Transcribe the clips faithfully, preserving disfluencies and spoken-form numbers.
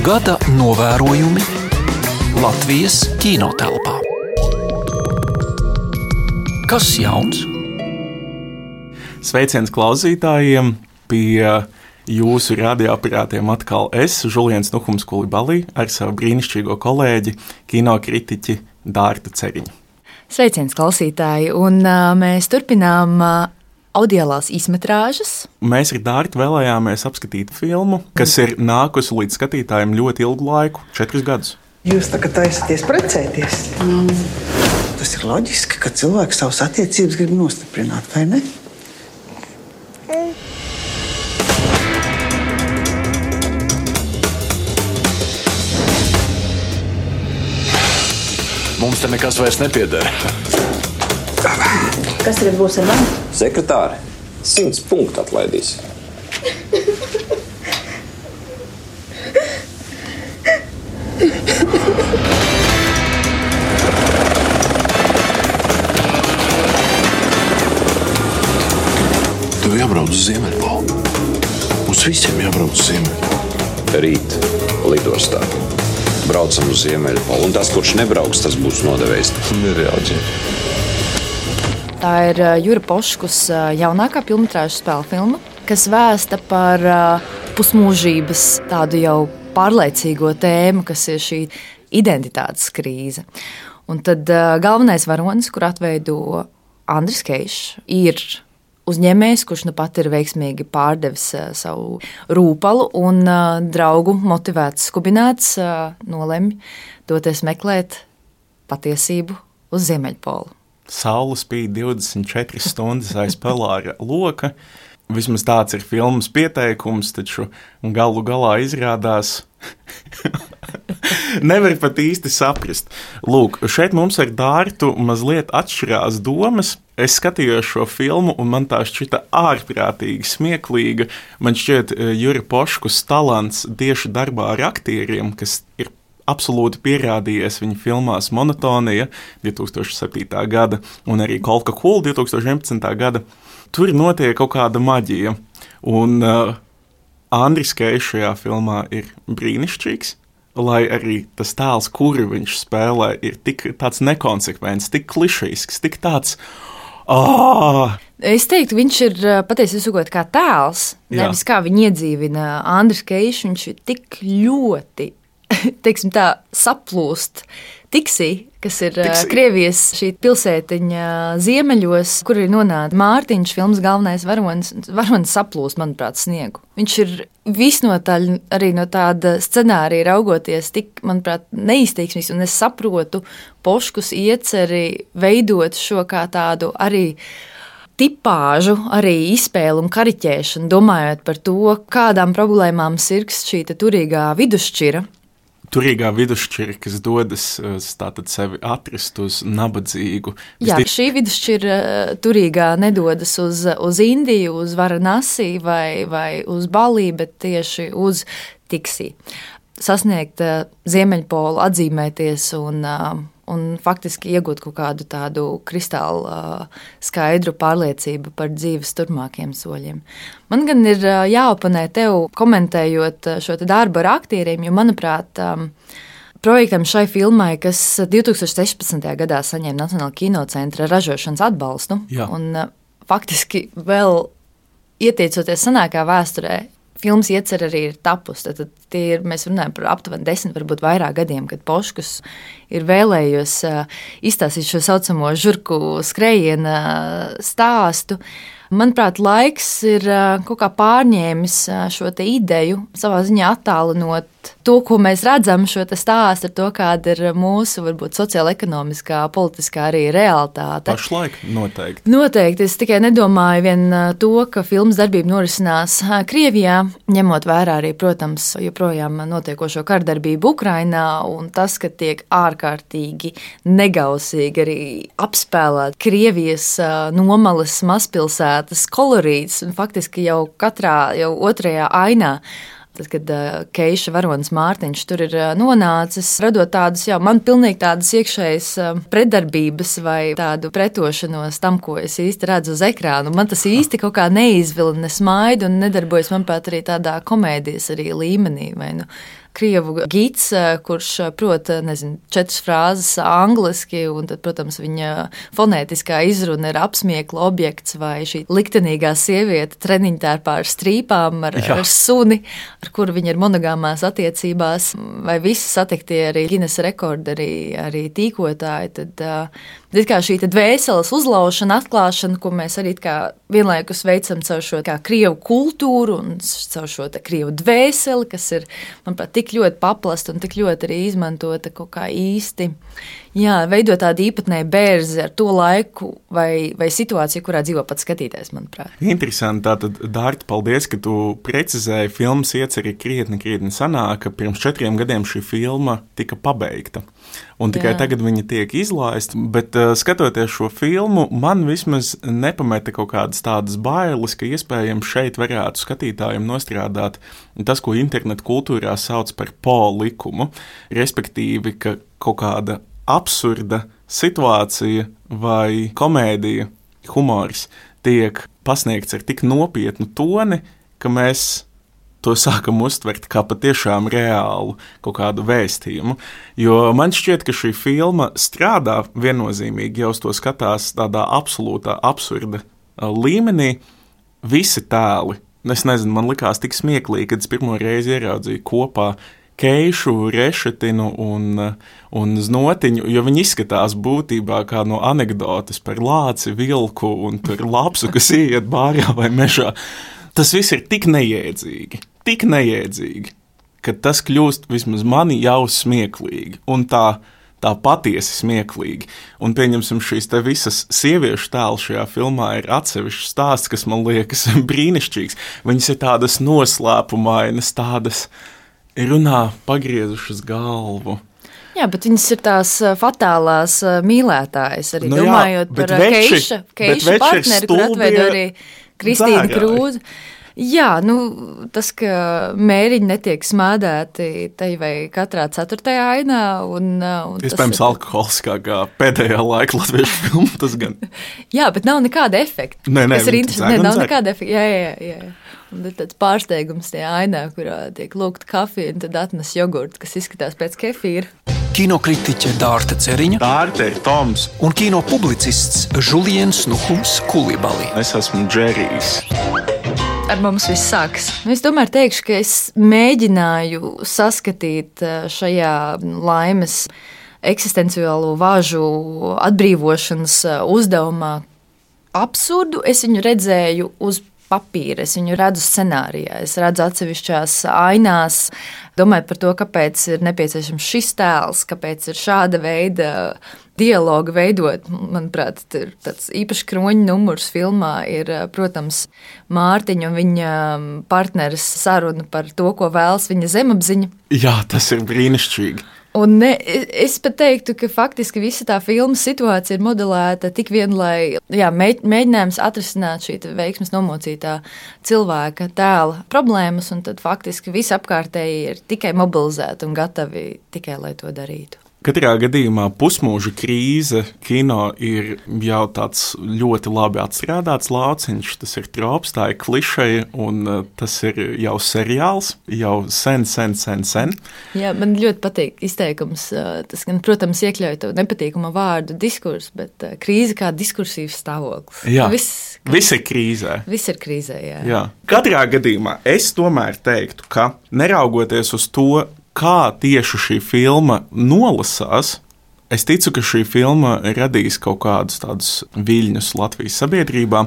Gada novērojumi Latvijas kinotelpā. Kas jauns? Sveiciens klausītājiem! Pie jūsu radioaparātiem atkal es, Žuliens Nuhums Kulibalī, ar savu brīnišķīgo kolēģi, kinokritiķi Dārtu Ceriņu. Sveiciens klausītāji! Un uh, mēs turpinām uh, audiālās īsmetrāžas. Mēs ar Dārtu vēlējāmies apskatīt filmu, kas ir nākusi līdz skatītājiem ļoti ilgu laiku, četrus gadus. Jūs tagad taisaties precēties? Mm. Tas ir loģiski, ka cilvēks savas attiecības grib nostiprināt, vai ne? Mm. Mums te nekas vairs nepieder. Kas tagad būs ar mani? Sekretāri, simts punktu atlaidīs. Tev jābrauc uz Ziemeļpolu. Mums visiem jābrauc uz Ziemeļpolu. Rīt lidostā. Braucam uz Ziemeļpolu, un tas, kurš nebrauks, tas būs nodevējs. Nereāģi. Tā ir Jura Poškus jaunākā pilnmetrāžu spēļu filma, kas vēsta par pusmūžības tādu jau pārliecīgo tēmu, kas ir šī identitātes krīze. Un tad galvenais varonis, kur atveido Andris Keišs, ir uzņēmējs, kurš nu pat ir veiksmīgi pārdevis savu rūpalu un draugu motivēts skubināts nolemj doties meklēt patiesību uz Ziemeļpolu. Saule spīd divdesmit četras stundas aiz pelāra loka. Vismaz tāds ir filmas pieteikums, taču galu galā izrādās nevar pat īsti saprast. Lūk, šeit mums ar Dārtu mazliet atšķirās domas. Es skatījos šo filmu, un man tā šķita ārprātīgi smieklīga. Man šķiet, Jura Poškus talants tieši darbā ar aktieriem, kas ir absolūti pierādījies viņa filmās Monotonija divi tūkstoši septītā gada un arī Kolka Kula divi tūkstoši vienpadsmitā gada. Tur notiek kaut kāda maģija. Un uh, Andris Keišs šajā filmā ir brīnišķīgs, lai arī tas tēls, kuru viņš spēlē, ir tik tāds nekonsekvents, tik klišejisks, tik tāds... Oh! Es teiktu, viņš ir patiesi izsakot kā tēls, nevis kā viņu iedzīvina Andris Keišs, viņš ir tik ļoti teiksim tā, saplūst Tiksī, kas ir Tiksī. Krievijas šī pilsētiņa ziemeļos, kur ir nonāca Mārtiņš, filmas galvenais varonis, varonis saplūst, manuprāt, sniegu. Viņš ir visnotaļ arī no tāda scenārija raugoties tik, manuprāt, neizteiksmīgs, un es saprotu Poškus ieceri veidot šo kā tādu arī tipāžu, arī izspēli un kariķēšanu, domājot par to, kādām problēmām sirgst šī turīgā vidusšķira. Turīgā vidusšķira, kas dodas tātad sevi atrast uz nabadzīgu. Jā, šī vidusšķira turīgā nedodas uz, uz Indiju, uz Varanasi vai, vai uz Balī, bet tieši uz Tiksī. Sasniegt Ziemeļpolu, atzīmēties un, un faktiski iegūt kaut kādu tādu kristālu skaidru pārliecību par dzīves turpmākiem soļiem. Man gan ir jāoponē tev, komentējot šo te darbu ar aktieriem, jo, manuprāt, projektam šai filmai, kas divi tūkstoši sešpadsmitajā gadā saņēma Nacionālā kinocentra ražošanas atbalstu, Jā. un faktiski vēl ieteicoties senākā vēsturē, filmas iecer arī ir tapus, tad tie ir, mēs runājam par aptuveni desmit, varbūt vairāk gadiem, kad Poškus ir vēlējies izstāstīt šo saucamo žurku skrējiena stāstu. Manuprāt, laiks ir kaut kā pārņēmis šo te ideju, savā ziņā attālinot to, ko mēs redzam, šo te stāstu ar to, kāda ir mūsu, varbūt, sociāla-ekonomiskā, politiskā arī realitāte. Pašlaik noteikti. Noteikti. Es tikai nedomāju vien to, ka filmas darbība norisinās Krievijā, ņemot vērā arī, protams, joprojām notiekošo kardarbību Ukrainā, un tas, ka tiek ārkārtīgi negausīgi arī apspēlēt Krievijas nomalas mazpilsētas kolorīts, un faktiski jau katrā, jau otrajā ainā. Tad, kad uh, Keiša varonis Mārtiņš tur ir uh, nonācis, radot tādus, jau man pilnīgi tādas iekšējas uh, pretdarbības vai tādu pretošanos tam, ko es īsti redzu uz ekrānu. Man tas īsti kaut kā neizvilina, nesmaida un nedarbojas, manuprāt, arī tādā komēdijas arī līmenī vai nu krievu gids, kurš prot, nezinu, četras frāzes angliski, un tad, protams, viņa fonētiskā izruna ir apsmiekla objekts, vai šī liktenīgā sieviete treniņtērpā ar strīpām, ar, ar suni, ar kuru viņa ir monogāmās attiecībās, vai visi satiktie arī Guinness rekordi, arī, arī tīkotāji, tad uh, kā šī dvēseles uzlaušana, atklāšana, ko mēs arī kā vienlaikus veicam caur šo kā krievu kultūru un caur šo krievu dvēseli, kas ir, manuprāt, tik ļoti paplasta un tik ļoti arī izmantota kaut kā īsti. Jā, veidot tādu īpatnēju bērzi ar to laiku vai, vai situāciju, kurā dzīvo pats skatītājs, manuprāt. Interesanti. Tātad, Dārta, paldies, ka tu precizēji. Filmas ieceri krietni, krietni sanāk, ka pirms četriem gadiem šī filma tika pabeigta. Un tikai Jā. Tagad viņa tiek izlaista, bet uh, skatoties šo filmu, man vismaz nepameta kaut kādas tādas bailes, ka iespējams šeit varētu skatītājiem nostrādāt tas, ko internetu kultūrā sauc par po likumu, respektīvi, ka kaut kāda absurda situācija vai komēdija, humors tiek pasniegts ar tik nopietnu toni, ka mēs to sākam uztvert kā patiešām reālu kaut kādu vēstījumu. Jo man šķiet, ka šī filma strādā viennozīmīgi, ja uz to skatās tādā absolūtā absurda līmenī. Visi tēli, es nezinu, man likās tik smieklīgi, kad es pirmo reizi ieraudzīju kopā Keišu, Rešetinu un, un Znotiņu, jo viņi izskatās būtībā kā no anekdotes par lāci, vilku un tur lapsu, kas ieiet bārā vai mežā. Tas viss ir tik neiedzīgi, tik neiedzīgi, ka tas kļūst vismaz mani jau smieklīgi un tā, tā patiesi smieklīgi. Un pieņemsim šīs te visas sieviešu tēlu šajā filmā ir atsevišķs stāsts, kas man liekas brīnišķīgs. Viņas ir tādas noslēpumainas, tādas runā pagriezušas galvu. Jā, bet viņas ir tās fatālās mīlētājas, arī nu domājot jā, par Keiša, Keiša partneri, kur atveido arī Kristīna Krūze. Jā, nu, tas, ka mēriņi netiek smādēti te vai katrā ceturtajā ainā. Un, un Iespējams, ir... alkoholiskākā pēdējā laika latviešu filma, tas gan. Jā, bet nav nekāda efekta. Nē, nē, tas ir interesanti. Nē, nav nekāda efekta. Jā, jā, jā. Un tad tāds pārsteigums tajā ainā, kurā tiek lūgta kafija, un tad atnes jogurtu, kas izskatās pēc kefīra. Kinokritiķe Dārta Ceriņa, Dārta ir Toms un kino publicists Žuliens Nuhums Kulibali. Es esmu Džerijs. Ar mums viss sākas. Es tomēr teikšu, ka es mēģināju saskatīt šajā laimes eksistenciālo vāžu atbrīvošanas uzdevumā absurdu. Es viņu redzēju uz papīra, es viņu redzu scenārijā, es redzu atsevišķās ainās, domāju par to, kāpēc ir nepieciešams šis tēls, kāpēc ir šāda veida dialogu veidot. Manuprāt, ir tāds īpaši kroņa numurs filmā ir, protams, Mārtiņa un viņa partneres saruna par to, ko vēlas viņa zemapziņa. Jā, tas ir brīnišķīgi. Un ne, es pat teiktu, ka faktiski visa tā filmas situācija ir modelēta tik vien, lai jā, mēģinājums atrisināt šī veiksmes nomocītā cilvēka tēla problēmas, un tad faktiski visi apkārtēji ir tikai mobilizēti un gatavi tikai, lai to darītu. Katrā gadījumā pusmūža krīze kino ir jau tāds ļoti labi atstrādāts lauciņš, tas ir trops, tā ir klišeja, un tas ir jau seriāls, jau sen, sen, sen, sen. Jā, man ļoti patīk izteikums, tas gan, protams, iekļauj to nepatīkamo vārdu diskursu, bet krīze kā diskursīvs stāvoklis. Jā, viss, viss ir krīzē. Viss ir krīzē, jā. jā. Katrā gadījumā es tomēr teiktu, ka neraugoties uz to, kā tieši šī filma nolasās, es ticu, ka šī filma radīs kaut kādus tādus viļņus Latvijas sabiedrībā.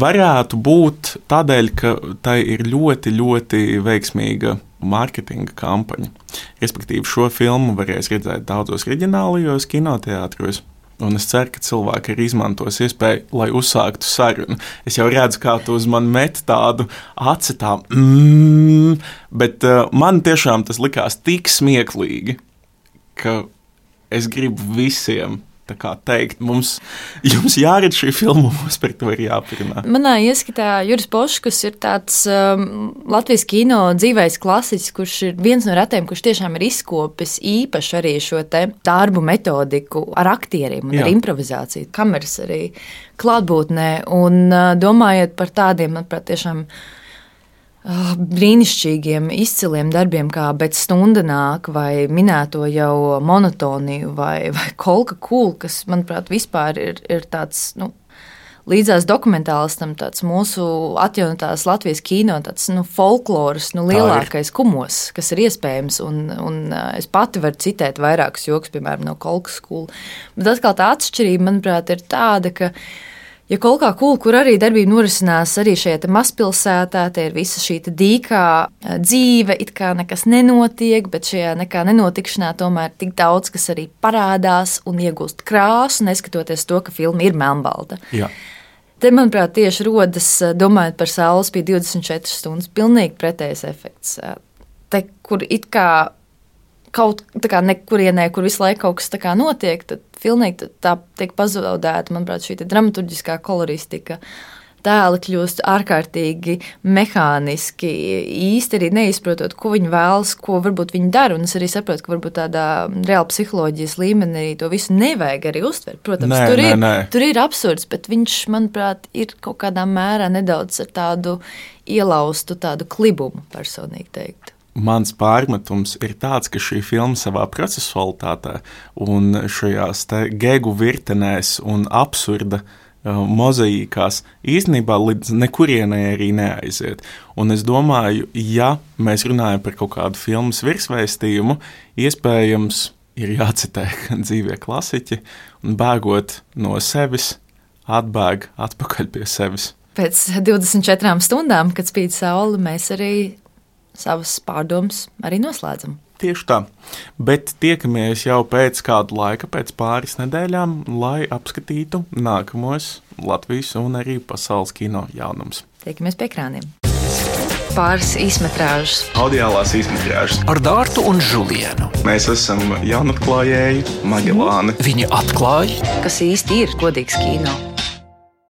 Varētu būt tādēļ, ka tai ir ļoti, ļoti veiksmīga mārketinga kampaņa. Respektīvi, šo filmu varēs redzēt daudzos reģionālajos kinoteātros. Un es ceru, ka cilvēki arī izmantos iespēju, lai uzsāktu sarunu. Es jau redzu, kā tu uz mani met tādu aci tā, mm, bet uh, man tiešām tas likās tik smieklīgi, ka es gribu visiem tā kā teikt, mums, jums jāredz šī filma, mums par to ir jāparunā. Manā ieskatā Juris Poškus ir tāds um, Latvijas kino dzīvais klasiķis, kurš ir viens no retiem, kurš tiešām ir izkopis īpaši arī šo te darbu metodiku ar aktieriem un Jā. Ar improvizāciju, kameras arī klātbūtnē, un uh, domājot par tādiem, manuprāt, tiešām brīnišķīgiem, izciliem darbiem, kā Bet stunda nāk, vai minēto jau Monotoniju, vai, vai Kolka Kūl, kas, manuprāt, vispār ir, ir tāds, nu, līdzās dokumentālistam tāds mūsu atjaunotās Latvijas kino, tāds, nu, folkloras, nu, lielākais kumos, kas ir iespējams, un, un es pati varu citēt vairākus joks, piemēram, no Kolkas Kūla. Bet atkal tā atšķirība, manuprāt, ir tāda, ka ja Kolkā Kūla, kur arī darbība norisinās arī šajā mazpilsētā, te ir visa šī dīkā dzīve, it kā nekas nenotiek, bet šajā nekā nenotikšanā tomēr tik daudz, kas arī parādās un iegūst krāsu, neskatoties to, ka filma ir melnbalta. Jā. Te, manuprāt, tieši rodas, domājot par Saules pie divdesmit četras stundas, pilnīgi pretējs efekts. Te, kur it kā kaut tā kā nekurienē, kur visu laiku kaut kas tā kā notiek, tad filmīgi tā tiek pazaudēta, manuprāt, šī dramaturģiskā koloristika. Tēli kļūst ārkārtīgi mehāniski, īsti arī neizprotot, ko viņi vēlas, ko varbūt viņi dara. Un es arī saprotu, ka varbūt tādā reāla psiholoģijas līmenī to visu nevajag arī uztvert. Protams, nē, tur, nē, ir, nē. tur ir absurds, bet viņš, manuprāt, ir kaut kādā mērā nedaudz ar tādu ielaustu tādu klibumu, personīgi teikt. Mans pārmetums ir tāds, ka šī filma savā procesualitātē un šajās te gegu virtenēs un absurda mozaīkās īstenībā līdz nekurienai arī neaiziet. Un es domāju, ja mēs runājam par kaut kādu filmas virsvēstījumu, iespējams ir jācitē dzīvie klasiķi un bēgot no sevis, atbēg atpakaļ pie sevis. Pēc divdesmit četrām stundām, kad spīd saule, mēs arī savas pārdomas arī noslēdzam. Tieši tā, bet tiekamies jau pēc kāda laika, pēc pāris nedēļām, lai apskatītu nākamos Latvijas un arī pasaules kino jaunumus. Tiekamies pie ekrāniem. Pāris īsmetrāžas. Audiālās īsmetrāžas. Ar Dārtu un Žulienu. Mēs esam jaunatklājēji Magelāni. Viņi atklāja, Kas īsti ir godīgs kino?